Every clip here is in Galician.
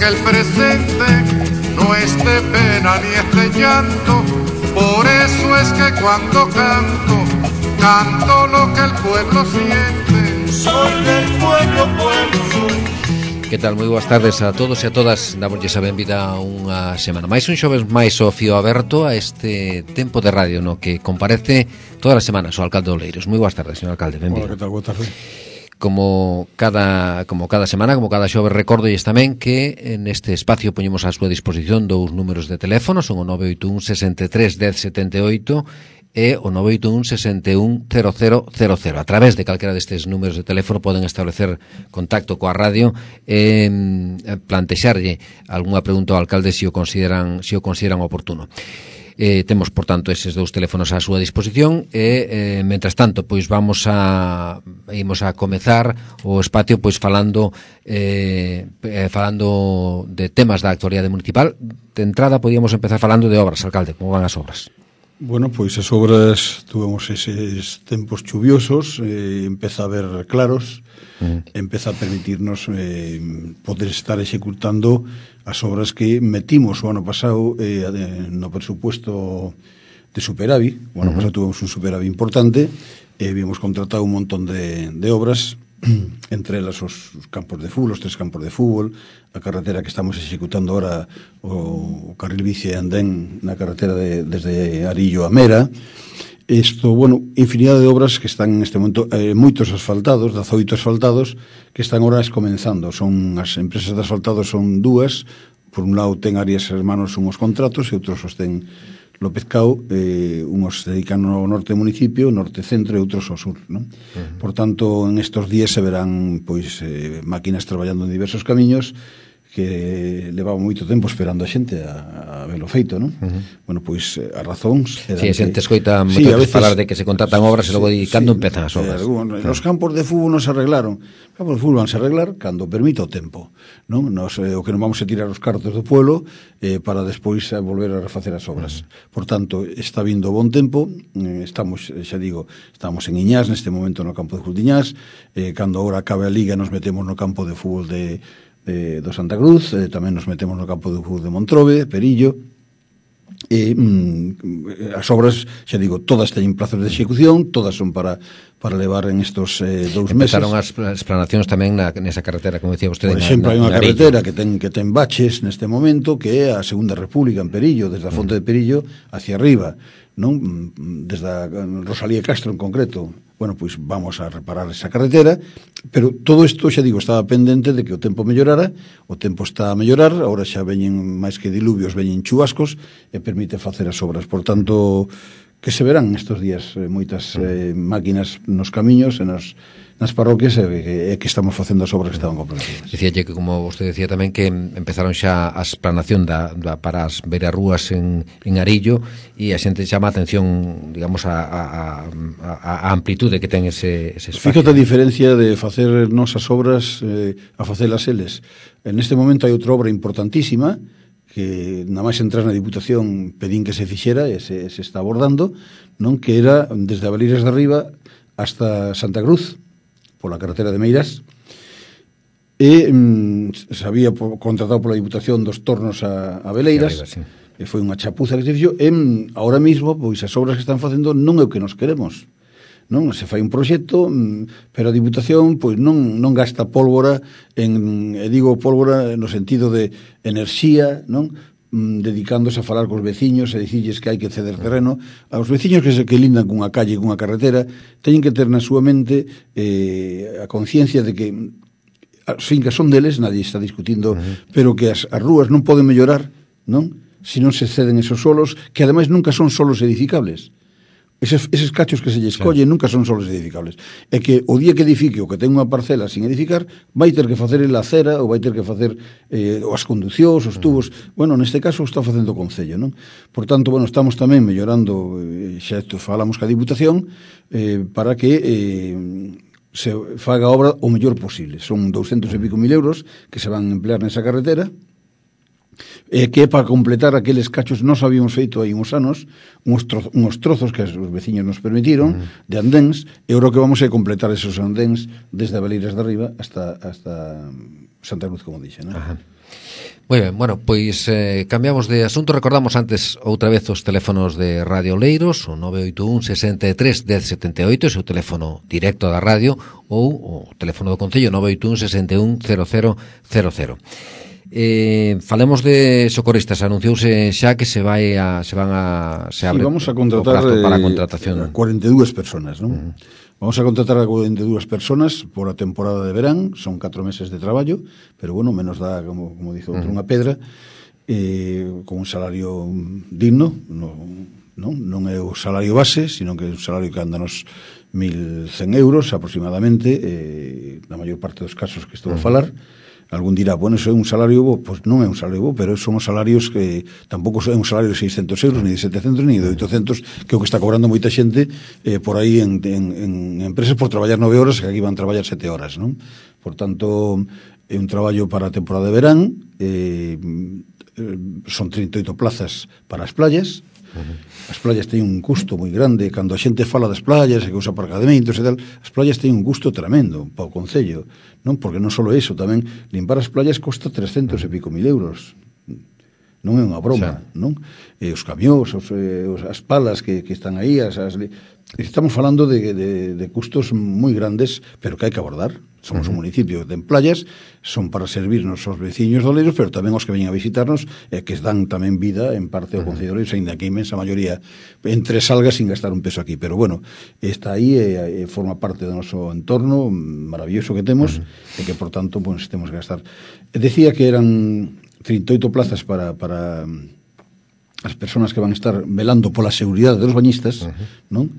que el presente no es de pena ni es de llanto. Por eso es que cuando canto, canto lo que el pueblo siente. Soy del pueblo, pueblo soy. Que tal? Moi boas tardes a todos e a todas. Damoslle a benvida a unha semana máis, un xoves máis ao fío aberto a este tempo de radio no que comparece todas as semanas o alcalde de Oleiros. Moi boas tardes, señor alcalde, benvido. Hola, que tal? Boa tarde. Como cada semana, como cada xoves, recordolles tamén que neste espacio poñemos á súa disposición dous números de teléfono, son o 981 63 10 78 e o 981 61 0000. A través de calquera destes números de teléfono poden establecer contacto coa radio e plantexarlle algunha pregunta ao alcalde se o consideran oportuno. Temos, por tanto, eses dous teléfonos á súa disposición e, mentras tanto, pois imos a comezar o espacio pois falando de temas da actualidade municipal. De entrada, podíamos empezar falando de obras, alcalde. Como van as obras? Bueno, pois as obras tuvemos eses tempos chuviosos, empeza a haber claros, empeza a permitirnos poder estar executando as obras que metimos o ano pasado no presupuesto de superávit. O ano pasado tuvemos un superávit importante, habíamos contratado un montón de obras, entre elas os campos de fútbol, os 3 campos de fútbol, a carretera que estamos executando ahora, o carril bici e andén na carretera desde Arillo a Mera. Isto, bueno, infinidade de obras que están neste momento, moitos asfaltados, 18 asfaltados, que están ahora comenzando. Son as empresas de asfaltados son dúas, por un lado ten Arias Hermanos unhos contratos e outros os ten López Cao, unhos dedican ao norte do municipio, norte-centro e outros ao sur, non? Por tanto, en estos días se verán pois máquinas traballando en diversos camiños que levaba moito tempo esperando a xente a velo feito, non? Bueno, pois as razóns eran a xente escoita moito falar de que se contratan obras e logo cando empezan as obras. Os campos de fútbol non se arreglaron. Os campos de fútbol van a arreglar cando permita o tempo, non? O que non vamos a tirar os cartos do pueblo para despois volver a refacer as obras. Por tanto, está vindo bon tempo, estamos, xa digo, estamos en Iñás neste momento no campo de fútbol de Iñás, cando agora acabe a liga nos metemos no campo de fútbol do Santa Cruz, tamén nos metemos no campo de fútbol de Montrobe, Perillo, e as obras, xa digo, todas teñen plazos de execución, todas son para levar en estos 2 meses. Empezaron as explanacións tamén nesa carretera, como decía vostede. Por exemplo, hai unha carretera que ten baches neste momento, que é a Segunda República en Perillo, desde a Fonte de Perillo hacia arriba, non? Desde a Rosalía Castro en concreto. Bueno, pois vamos a reparar esa carretera, pero todo isto, xa digo, estaba pendente de que o tempo mellorara, o tempo está a mellorar, agora xa veñen máis que diluvios, veñen chubascos, e permite facer as obras. Por tanto, que se verán estes días moitas máquinas nos camiños e nas parroquias e que estamos facendo as obras que estaban comprometidas. Dicíalle que, como vostede decía tamén, que empezaron xa a explanación para as beirarrúas en Arillo, e a xente chama a atención, digamos, a amplitude que ten ese espacio. Fíjate a diferencia de facer nosas obras a facelas eles. En este momento hai outra obra importantísima que nada máis entrar na Diputación pedín que se fixera e se está abordando, non? Que era desde Abeleiras de Arriba hasta Santa Cruz, pola carretera de Meirás, e se había contratado pola Diputación 2 tornos a Abeleiras, e foi unha chapuza que se fixo, e ahora mesmo, pois as obras que están facendo non é o que nos queremos, non? Se fai un proxecto, pero a Diputación pois non gasta pólvora e digo pólvora no sentido de enerxía, non? Dedicándose a falar cos veciños e dicirles que hai que ceder terreno. Aos veciños que lindan cunha calle e cunha carretera teñen que ter na súa mente a conciencia de que as fincas son deles, nadie está discutindo, pero que as rúas non poden mellorar, non? Se non se ceden esos solos, que ademais nunca son solos edificables. Eses cachos que se lle escollen nunca son solos edificables. É que o día que edifique o que ten unha parcela sin edificar, vai ter que facer a acera ou vai ter que facer as conducións, os tubos. Bueno, neste caso está facendo o Concello, non? Por tanto, bueno, estamos tamén mellorando, xa falamos ca Diputación, para que se faga a obra o mellor posible. Son 200 e pico mil euros que se van a emplear nesa carretera, que é para completar aqueles cachos que nós habíamos feito aí uns anos, uns trozos que os veciños nos permitiron de andéns, e agora que vamos a completar esos andéns desde Abeleiras de Arriba hasta Santa Cruz, como dixe, non? Moi ben, bueno, pois cambiamos de asunto. Recordamos antes outra vez os teléfonos de Radio Oleiros, o 981 63 1078, ese o teléfono directo da radio, ou o teléfono do Concello 981 61 0000. Falemos de socorristas. Anunciouse xa que se abre vamos a contratar para a contratación 42 personas, non? Vamos a contratar a 42 personas por a temporada de verán, son 4 meses de traballo, pero bueno, menos dá, como dice outro, unha pedra, con un salario digno, non é o salario base, sino que é un salario que anda nos 1.100 euros aproximadamente, na maior parte dos casos que estou a falar. Algún dirá, bueno, eso é un salario bo. Pois non é un salario bo, pero son os salarios que tampouco é un salario de 600 euros, ni de 700, ni de 800, que é o que está cobrando moita xente por aí en empresas por traballar 9 horas, que aquí van traballar 7 horas, non? Por tanto, é un traballo para a temporada de verán, son 38 plazas para as playas. As playas teñen un custo moi grande. Cando a xente fala das playas e que usa aparcamentos e tal, as playas teñen un custo tremendo para o Concello, non? Porque non só iso, tamén limpar as playas costa 300 e pico mil euros. Non é unha broma, non? E os camións, as palas que están aí, estamos falando de custos moi grandes, pero que hai que abordar. Somos un municipio de playas, son para servirnos aos veciños de Oleiros, pero tamén os que veñen a visitarnos, que dan tamén vida en parte ao Concello de Oleiros, ainda que a inmensa maioría entre salgas sin gastar un peso aquí. Pero bueno, está aí e forma parte do noso entorno maravilloso que temos, e que por tanto pues, temos que gastar. Decía que eran 38 plazas para as persoas que van a estar velando pola seguridade dos bañistas, non?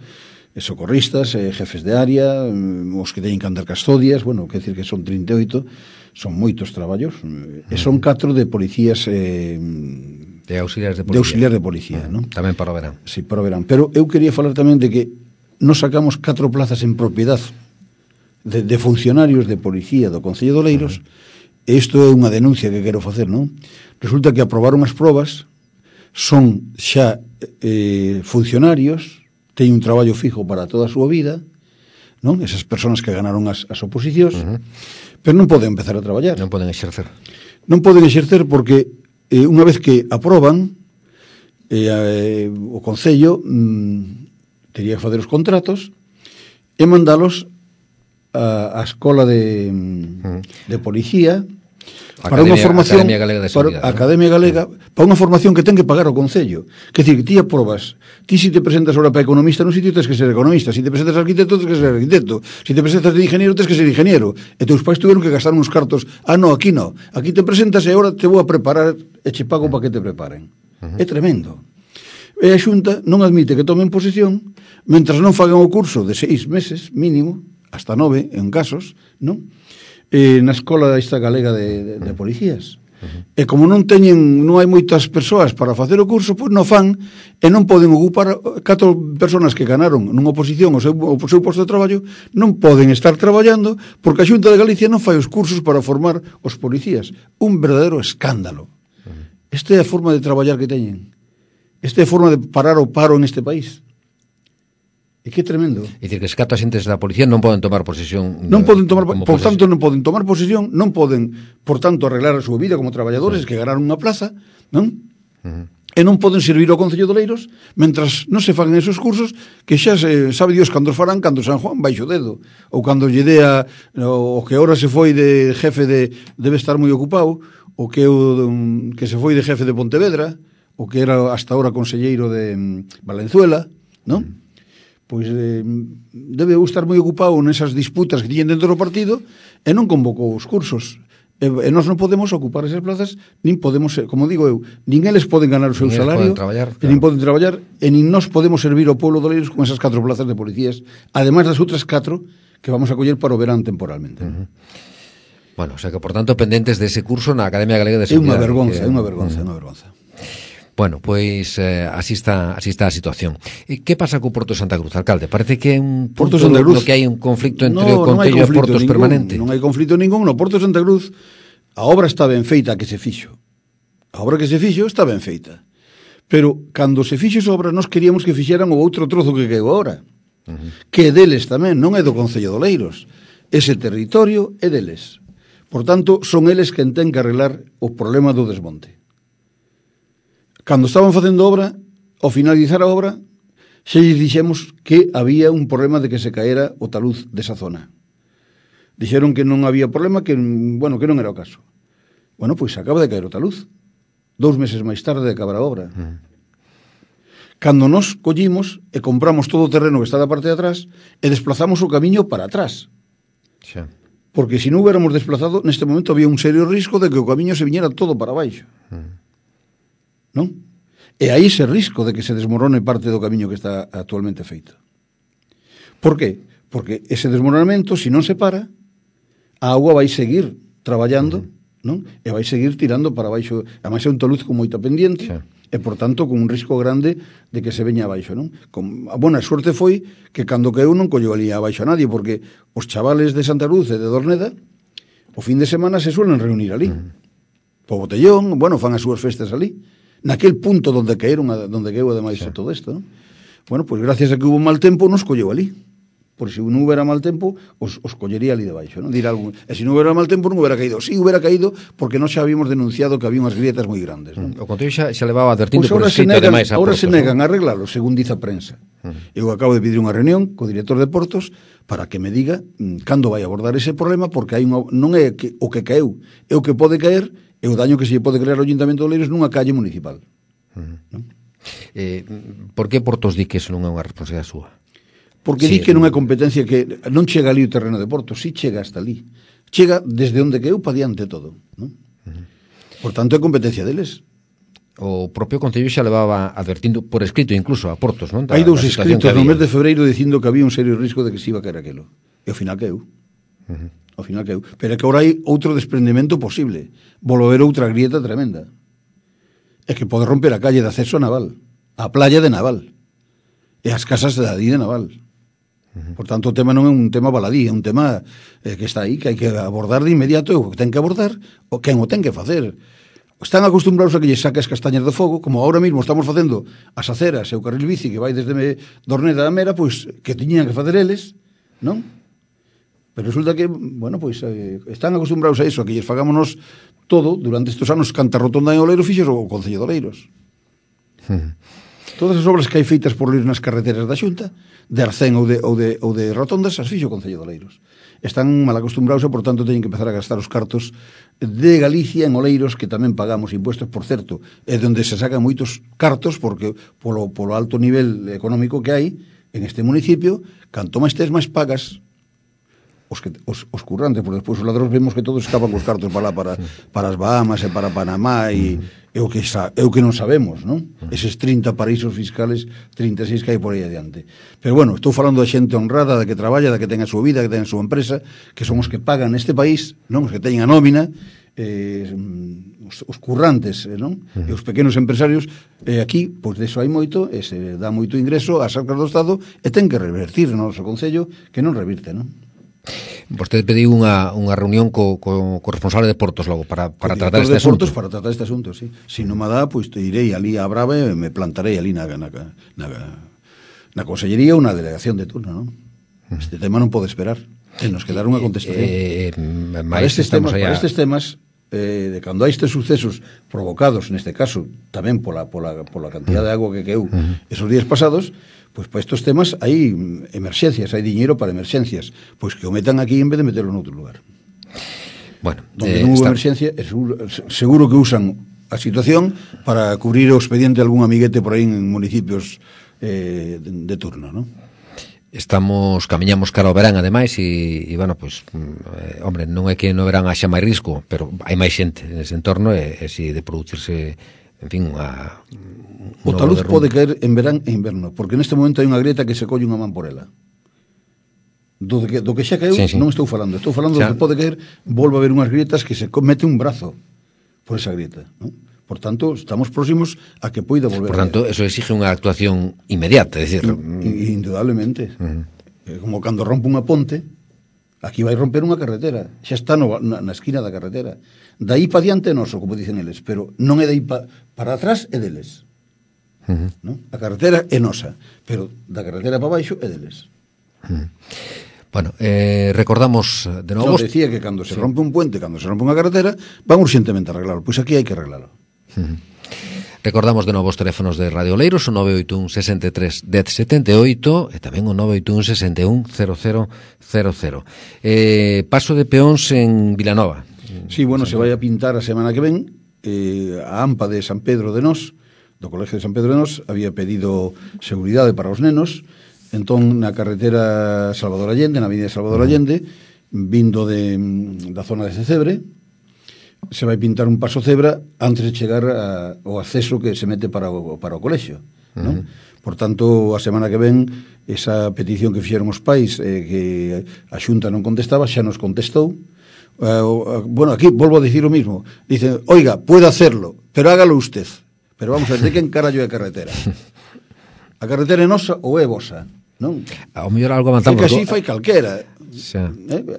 Socorristas, jefes de área, os que teñen que andar custodias, bueno, quer decir que son 38, son moitos traballos, e son 4 de policías de auxiliares de policía. De auxiliar de policía, non? Tamén para o verán. Sí, para o verán. Pero eu quería falar tamén de que nos sacamos 4 plazas en propiedad de funcionarios de policía do Concello de Oleiros, e isto é unha denuncia que quero facer, non? Resulta que aprobaron as probas, son xa funcionarios, teñen un traballo fijo para toda a súa vida, non? Esas persoas que ganaron as oposicións, pero non poden empezar a traballar. Non poden exercer. Non poden exercer porque unha vez que aproban, o Concello tería que facer os contratos e mandalos a escola de policía para unha formación Academia Galega de Seguridade, para Academia Galega, para unha formación que ten que pagar o Concello. Quer dicir, que ti aprobas, ti se te presentas ahora para economista nun sitio tens que ser economista, se te presentas arquitecto tens que ser arquitecto, se te presentas de ingeniero tens que ser ingeniero, e teus pais tuveron que gastar uns cartos. No, aquí no, aquí te presentas e ahora te vou a preparar e che pago para que te preparen. É tremendo. E a Xunta non admite que tomen posesión mentras non fagan o curso de 6 meses mínimo, hasta 9 en casos, non? Na escola esta galega de policías. E como non hai moitas persoas para facer o curso, pois non fan e non poden ocupar 4 persoas que ganaron nunha oposición o seu posto de traballo, non poden estar traballando porque a Xunta de Galicia non fai os cursos para formar os policías. Un verdadeiro escándalo. Esta é a forma de traballar que teñen. Esta é a forma de parar o paro en este país. E que tremendo. É dicir, que os 4 agentes da policía non poden tomar posesión. Non poden tomar, por tanto, non poden tomar posesión, non poden, por tanto, arreglar a súa vida como traballadores que ganaron unha plaza, non? E non poden servir ao Concello de Oleiros mentras non se fagan esos cursos que xa se sabe Dios cando os farán, cando San Juan baixo dedo, ou cando lle dea o que ahora se foi de jefe debe estar moi ocupado, o que que se foi de jefe de Pontevedra, o que era hasta ahora conselleiro de Valenzuela, non? Pois debe estar moi ocupado nesas disputas que tiñen dentro do partido e non convocou os cursos. E nós non podemos ocupar esas plazas, nin podemos, como digo eu, nin eles poden ganar o seu salario, nin poden traballar, e nin nós podemos servir ao pueblo de Oleiros con esas 4 plazas de policías, ademais das outras 4 que vamos a coller para o verán temporalmente. Bueno, o sea que, por tanto, pendentes dese curso na Academia Galega de Seguridade. É unha vergonza. Bueno, pois así está a situación. E que pasa co Porto de Santa Cruz, alcalde? Parece que é un punto no que hai un conflicto entre o Concello e Portos permanente. Non hai conflicto ningún. No Porto de Santa Cruz a obra está ben feita, que se fixo. A obra que se fixo está ben feita. Pero cando se fixo esa obra nós queríamos que fixeran o outro trozo que quedou agora. Que é deles tamén, non é do Concello de Oleiros. Ese territorio é deles. Por tanto, son eles quen ten que arreglar o problema do desmonte. Cando estaban facendo obra, ao finalizar a obra, xa lles dixemos que había un problema de que se caera o taluz desa zona. Dixeron que non había problema, que non era o caso. Bueno, pois acaba de caer o taluz. 2 meses máis tarde de acabar a obra. Cando nos collimos e compramos todo o terreno que está da parte de atrás e desplazamos o camiño para atrás. Xa. Porque se non hubiéramos desplazado, neste momento había un serio risco de que o camiño se viñera todo para baixo. Non? E aí ese risco de que se desmorone parte do camiño que está actualmente feito. Por qué? Porque ese desmoronamento, se non se para, a auga vai seguir traballando, non? E vai seguir tirando para baixo. Ademais é un taluz con moita pendiente, xa. E, por tanto, con un risco grande de que se veña abaixo, non? A boa sorte foi que cando caeu non colleu ali abaixo a nadie, porque os chavales de Santa Luz e de Dorneda, o fin de semana se suelen reunir ali. Po botellón, fan as súas festas ali. Naquel punto donde caeron, donde caeu ademais todo isto, non? Bueno, pois gracias a que hubo mal tempo, nos colleu ali. Por se non houbera mal tempo, os collería ali debaixo, non? Dirá algún, e se non houbera mal tempo non houbera caído. Si houbera caído, porque nós xa habíamos denunciado que había unhas grietas moi grandes, non? O Concello xa levaba advertindo por escrito ademais a Portos. Ahora se negan a arreglalo, según dice a prensa. Eu acabo de pedir unha reunión co director de Portos para que me diga cando vai abordar ese problema, porque hai non é que o que caeu, é o que pode caer, e o daño que se lle pode crear ao Ayuntamento de Oleiros nunha calle municipal. Non? Por que Portos di que eso non é unha responsabilidade súa? Porque di que non é competencia, que non chega ali o terreno de Porto, si chega hasta ali. Chega desde onde queu para diante todo, non? Por tanto, é competencia deles. O propio Concello xa levaba advertindo por escrito incluso a Portos, non? Hai 2 escritos no mes de febreiro dicindo que había un serio risco de que se iba a caer aquilo. E ao final queu. Ao final queu. Pero é que agora hai outro desprendimento posible. Volver outra grieta tremenda. É que pode romper a calle de acceso a Naval, a playa de Naval, e as casas de Adí de Naval. Por tanto, o tema non é un tema baladí, é un tema que está aí, que hai que abordar de inmediato, e o que ten que abordar, o quen o ten que facer. Están acostumbrados a que lle saque as castañas do fogo, como ahora mismo estamos facendo as aceras e o carril bici que vai desde Dorneda a Mera, pois que tiñan que facer eles, non? Pero resulta que, están acostumbrados a iso, a que lles fagámonos todo, durante estes anos, canta rotonda en Oleiros fixos o Concello de Oleiros. Todas as obras que hai feitas por Oleiros nas carreteras da Xunta, de Arcén ou de rotondas, as fixo o Concello de Oleiros. Están mal acostumbrados e, por tanto, teñen que empezar a gastar os cartos de Galicia en Oleiros, que tamén pagamos impuestos, por certo, é onde se sacan moitos cartos, porque polo alto nivel económico que hai en este municipio, canto máis tes, máis pagas os currantes, porque despois os ladróns vemos que todos escapan cos cartos para as Bahamas e para Panamá e o que non sabemos, non? Eses 30 paraísos fiscales, 36 que hai por aí adiante. Pero bueno, estou falando da xente honrada, da que traballa, da que ten a súa vida, que ten a súa empresa, que son os que pagan neste país, non? Os que teñen a nómina, os currantes, non? E os pequenos empresarios, aquí, pois deso hai moito, e se dá moito ingreso ás arcas do Estado, e ten que revertir no noso Concello, que non revirte, non? Vostede pediu unha reunión co responsable de Portos logo para tratar este asunto. Portos para tratar este asunto, sí. Se non me dá, pois irei ali a Brava e me plantarei ali na consellería ou na delegación de turno, non? Este tema non pode esperar. E nos quedar unha contestación. Para estes temas, de cando hai estes sucesos provocados, neste caso, tamén pola cantidad de agua que caeu esos días pasados, pois para estes temas hai emerxencias, hai diñeiro para emerxencias, pois que o metan aquí en vez de meterlo en outro lugar. Bueno, donde non houve emerxencia, seguro que usan a situación para cubrir o expediente de algún amiguete por aí en municipios de turno, non? Camiñamos cara ao verán, ademais, e hombre, non é que no verán haxa máis risco, pero hai máis xente nese entorno, e si de producirse, en fin, o taluz pode caer en verán e inverno, porque neste momento hai unha grieta que se colle unha man por ela. Do que xa caeu, sí. Non estou falando do que pode caer, volve a haber unhas grietas que se mete un brazo por esa grieta, non? Por tanto, estamos próximos a que poida volver. Por tanto, eso exige unha actuación inmediata, é dicir, indudablemente. Como cando rompe unha ponte, aquí vai romper unha carretera, xa está na esquina da carretera. Daí para diante é noso, como dicen eles, pero non é daí para atrás, é deles. A carretera é nosa, pero da carretera para baixo é deles. Bueno, recordamos de novo... Yo decía que cando se rompe un puente, cando se rompe unha carretera, van urxentemente a arreglarlo. Pois aquí hai que arreglarlo. Recordamos de novo os teléfonos de Radio Oleiros, o 981 63 10 78 e tamén o 981 61 0000. Paso de peóns en Vilanova. Sí, bueno, se vai a pintar a semana que ven. A AMPA de San Pedro de Nós, do Colegio de San Pedro de Nós, había pedido seguridade para os nenos. Entón, na carretera Salvador Allende, na avenida Salvador Allende, vindo da zona de Cecebre, se vai pintar un paso cebra antes de chegar ao acceso que se mete para o colexio, non? Por tanto, a semana que ven, esa petición que fixeron os pais, que a Xunta non contestaba, xa nos contestou. Bueno, aquí volvo a dicir o mismo. Dice, oiga, puede hacerlo, pero hágalo usted. Pero vamos a ver, de quen carallo é a carretera? A carretera é nosa ou é vosa? Non? Ao mellor algo avanzamos. É que así fai calquera.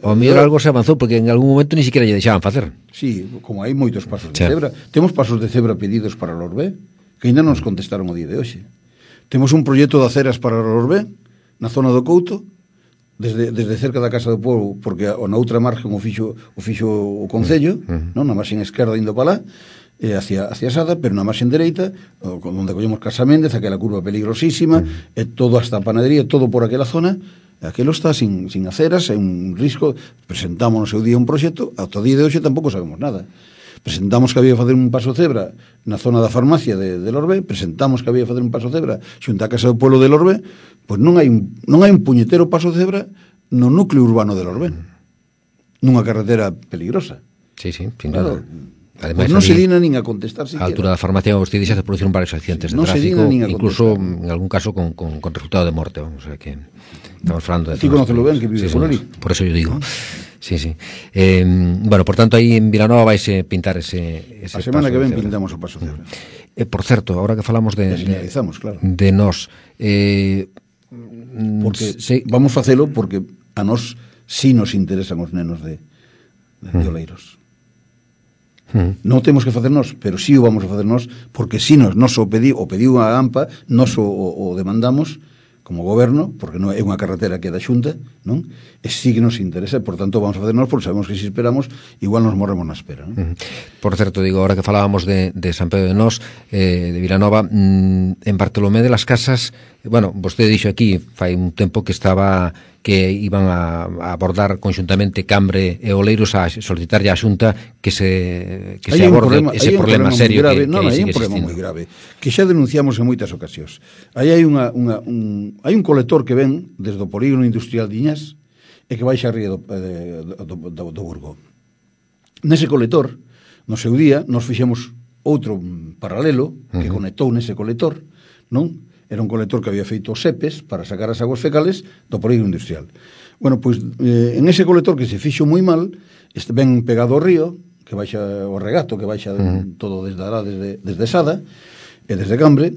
Ao mellor algo se avanzou, porque en algún momento ni siquiera lle deixaban facer. Sí, como hai moitos pasos de cebra. Temos pasos de cebra pedidos para o Lorbé, que ainda non nos contestaron o día de hoxe. Temos un proxecto de aceras para o Lorbé, na zona do Couto, desde cerca da Casa do Pobo, porque na outra margen o fixo o Concello, non? Na marxen esquerda indo para lá, hacia Sada, pero na marxen dereita, onde collemos Casaméndez, aquela curva peligrosísima, e todo hasta a panadería, todo por aquela zona. Aquelo está sin aceras, é un risco. Presentamos no seu día un proxecto, ata o día de hoxe tampouco sabemos nada. Presentamos que había que facer un paso cebra na zona da farmacia de Lorbé, presentamos que había que facer un paso cebra xunto á Casa do Pueblo de Lorbé, pois non hai un puñetero paso cebra no núcleo urbano de Lorbé, nunha carretera peligrosa. Sí, sin duda. Ademais, non se dina nin a contestar siquiera. A altura da farmacia vostede xa se produciron varios accidentes de tráfico, incluso en algún caso con resultado de morte, vamos, o sea que estamos falando de... Ti conocelo ben, que vive por ali. Por eso yo digo. Sí. Bueno, por tanto, aí en Vilanova vaise pintar ese a semana que ven pintamos o paso cebra. Por certo, ahora que falamos de claro, de nós, porque vamos facelo porque a nós si nos interesan os nenos de Oleiros. Non temos que facer nós, pero si o vamos a facer nós, porque si nos o pediu a AMPA, nos o demandamos como goberno, porque non é unha carretera que é da Xunta, non? E si que nos interesa, por tanto vamos a facer nós, porque sabemos que se esperamos, igual nos morremos na espera, non? Por certo, digo, ahora que falábamos de San Pedro de Nós, de Vilanova, en Bartolomé de las Casas, bueno, vostede dixo aquí, fai un tempo que iban a abordar conxuntamente Cambre e Oleiros a solicitarlle á Xunta que se aborde ese problema serio grave, que hai un problema moi grave, que xa denunciamos en moitas ocasións. Aí hai un colector que ven desde o polígono industrial de Iñás e que baixa a ría do Burgo. Nese colector, no seu día, nos fixemos outro paralelo que conectou nese colector, non? Era un colector que había feito SEPES para sacar as aguas fecales do polígono industrial. Bueno, pois en ese colector que se fixo moi mal, ben pegado ao río, que baixa o regato, que baixa todo desde Ará, desde Sada e desde Cambre,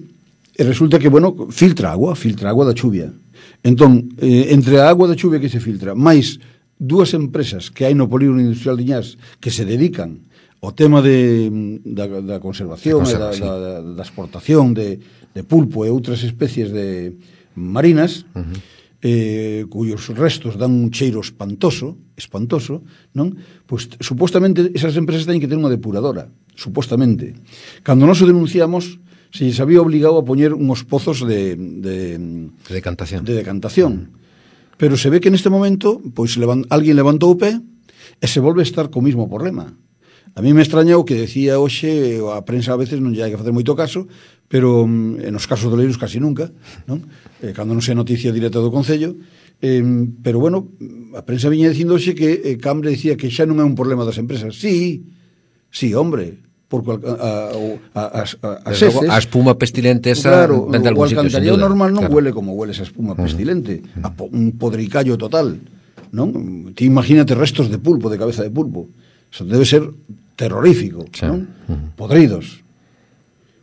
e resulta que, bueno, filtra agua da chuvia. Entón, entre a agua da chuvia que se filtra, máis dúas empresas que hai no polígono industrial de Iñás que se dedican ao tema da conservación e da exportación de pulpo e outras especies de marinas, cuyos restos dan un cheiro espantoso, non? Pois, supostamente, esas empresas teñen que ter unha depuradora, supostamente. Cando nós o denunciamos, se lles había obligado a poñer uns pozos de decantación. Pero se ve que neste momento, pois, alguén levantou o pé e se volve a estar co mismo problema. A mí me extraña o que decía hoxe, a prensa a veces non lle hai que facer moito caso, pero en os casos de Oleiros casi nunca, non? Cando non sei noticia directa do Concello, pero bueno, a prensa viña dicindo hoxe que Cambre dicía que xa non é un problema das empresas. Sí, hombre, porque as heces... A espuma pestilente esa... Claro, o alcantarillado normal non huele como huele esa espuma pestilente, un podricallo total, non? Ti imagínate restos de pulpo, de cabeza de pulpo. Eso debe ser terrorífico, non? Podridos.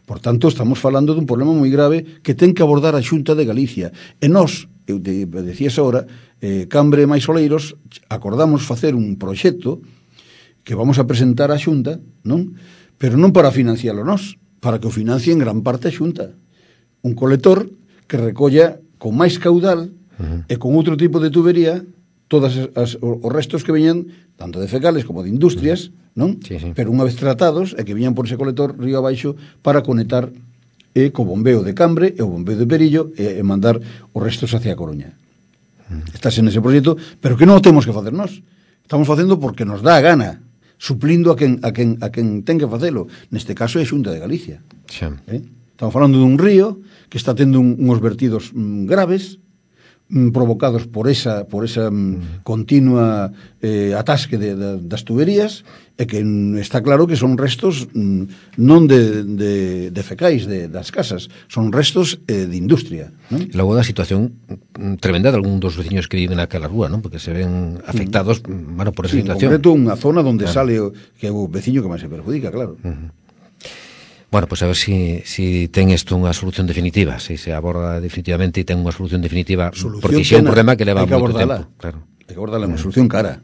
Por tanto, estamos falando dun problema moi grave que ten que abordar a Xunta de Galicia. E nós, eu te decías agora, Cambre e máis Oleiros, acordamos facer un proxecto que vamos a presentar á Xunta, non? Pero non para financialo nós, para que o financie en gran parte a Xunta. Un colector que recolla con máis caudal e con outro tipo de tubería os restos que veñan tanto de fecales como de industrias, non? Sí, sí. Pero unha vez tratados é que viñan por ese colector río abaixo para conectar co bombeo de Cambre e o bombeo de Perillo e mandar os restos hacia a Coruña. Estás en ese proxecto, pero que non o temos que facer nós. Estamos facendo porque nos dá a gana, suplindo a quen ten que facelo. Neste caso é a Xunta de Galicia. Xa. Estamos falando dun río que está tendo uns vertidos graves, provocados por esa continua atasque das tuberías, e que está claro que son restos non de fecais das casas, son restos de industria, non? Logo da situación tremenda de algún dos veciños que viven naquela rúa, non? Porque se ven afectados, bueno, por esa situación. En concreto, unha zona onde sale que é o veciño que máis se perjudica, claro. Bueno, pues a ver si ten isto unha solución definitiva, si se aborda definitivamente e ten unha solución definitiva, porque xe é un problema que leva moito tempo. Claro. Hai que abordarla, unha solución cara.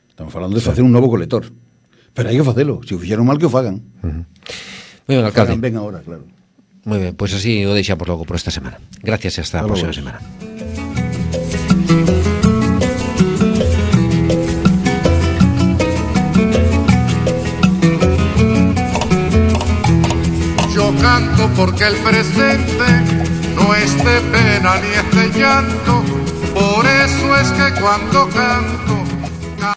Estamos falando de facer un novo colector. Pero hai que facelo, se o fixeron mal que o fagan. Moi ben, alcalde. Ben agora, claro. Moi ben, pois así o deixamos logo por esta semana. Gracias e hasta a próxima semana. Canto porque el presente no es de pena ni es de llanto, por eso es que cuando canto